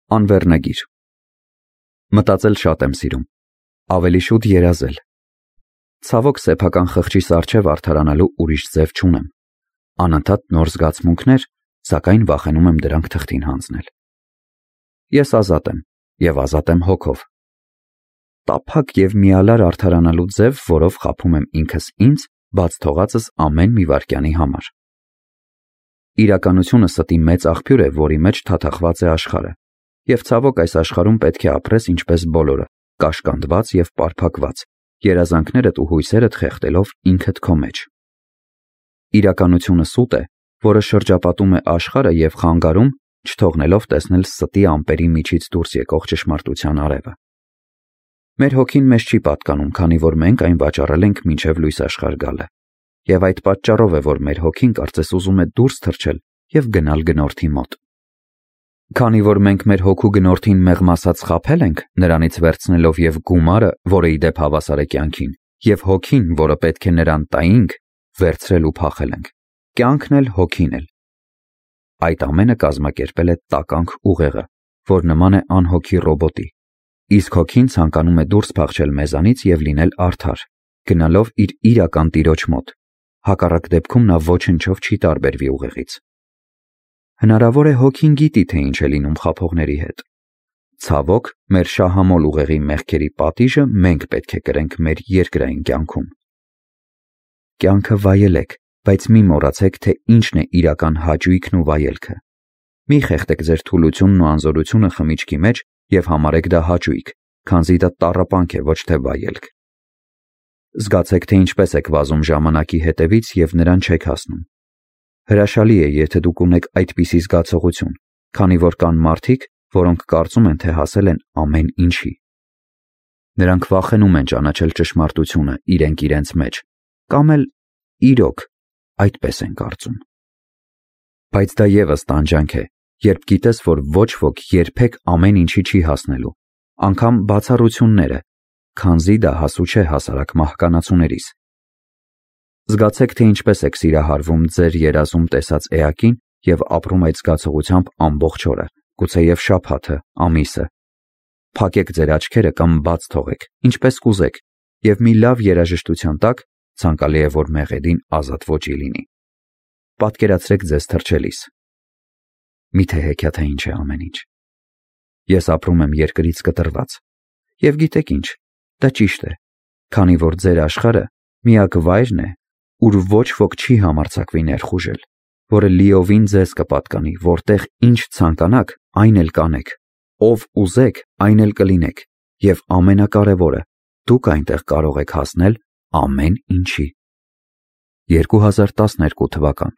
Անվեռնագիր։ Մտածել շատ եմ սիրում, ավելի շուտ երազել։ Ցավոք սեփական խղճիս առջև արդարանալու ուրիշ ձև չունեմ։ Անընդհատ նոր զգացմունքներ, սակայն վախենում եմ դրանք թղթին հանձնել։ Ես ազատ եմ և ազատ եմ հոգով։ Տափակ և միալար արդարանալու ձև, որով խաբում եմ ինքս ինձ, բաց թողածս ամեն մի վայրկյանի համար։ Իրականությունը ստի մեծ աղբյուր է, որի մեջ թաթախված է աշխարհը, և ցավոք այս աշխարհում պետք է ապրես ինչպես բոլորը, կաշկանդված և պարփակված, երազանքներդ ու հույսերդ խեղդելով ինքդ քո մեջ։ Իրականությունը սուտ է, որը շրջապատում է աշխարհը և խանգարում, չթողնելով տեսնել ստի ամպերի միջից դուրս եկող ճշմարտության արևը։ Մեր հոգին մեզ չի պատկանում, քանի որ մենք այն վաճառել ենք մինչև լույս աշխարհ գալը, և այդ պատճառով է, որ մեր հոգին կարծես ուզում է դուրս թռչել և գնալ գնորդի մոտ։ Քանի որ մենք մեր հոգու գնորդին մեղմ ասած խաբել ենք, նրանից վերցնելով և գումարը, որը ի դեպ հավասար է կյանքին, և հոգին, որը պետք է նրան տայինք, վերցրել ու փախել ենք, կյանքն էլ հոգին էլ։ Այդ ամենը կազմակերպել է տականք ուղեղը, որ նման է անհոգի ռոբոտի, իսկ հոգին ցանկանում է դուրս փախչել մեզանից և լինել արդար, գնալով իր իրական տիրոջ մոտ, հակառակ դեպքում նա ոչնչով չի տարբերվի ուղեղից։ Հնարավոր է հոգին գիտի, թե ինչ է լինում խաբողների հետ։ Ցավոք, մեր շահամոլ ուղեղի մեղքերի պատիժը մենք պետք է կրենք մեր երկրային կյանքում։ Կյանքը վայելեք, բայց մի մոռացեք, թե ինչն է իրական հաճույքն ու վայելքը։ Մի խեղդեք ձեր թուլությունն ու անզորությունը խմիչքի մեջ և համարեք դա հաճույք, քանզի դա տառապանք է, ոչ թե վայելք։ Զգացեք, թե ինչպես եք վազում ժամանակի հետևից և նրան չեք հասնում։ Հրաշալի է, եթե դուք ունեք այդպիսի զգացողություն, քանի որ կան մարդիկ, որոնք կարծում են, թե հասել են ամեն ինչի։ Նրանք վախենում են ճանաչել ճշմարտությունը իրենք իրենց մեջ, կամ էլ իրոք այդպես են կարծում։ Բայց դա ևս տանջանք է, երբ գիտես, որ ոչ ոք երբեք ամեն ինչի չի հասնելու, անգամ բացառությունները, քանզի դա հասու չէ հասարակ մահկանացուներիս։ Զգացեք, թե ինչպես եք սիրահարվում ձեր երազում տեսած էակին և ապրում այդ զգացողությամբ ամբողջ օրը, գուցեև շաբաթը, ամիսը։ Փակեք ձեր աչքերը կամ բաց թողեք, ինչպես կուզեք, և մի լավ երաժշտության տակ ցանկալի է, որ մեղեդին ազատ ոճի լինի։ Պատկերացրեք ձեզ թռչելիս։ Միթե հեքիաթը ինչ է ամեն ինչ։ Ես ապրում եմ երկրից կտրված։ Եվ գիտեք ինչ, դա ճիշտ է, քանի որ ձեր աշխարհը միակ վայրն է, ուր ոչ ոք չի համարձակվի ներխուժել, որը լիովին ձեզ կպատկանի, որտեղ ինչ ցանկանաք, այն էլ կանեք, ով ուզեք, այն էլ կլինեք, և ամենակարևորը, դուք այնտեղ կարող եք հասնել ամեն ինչի։ 2012 թվական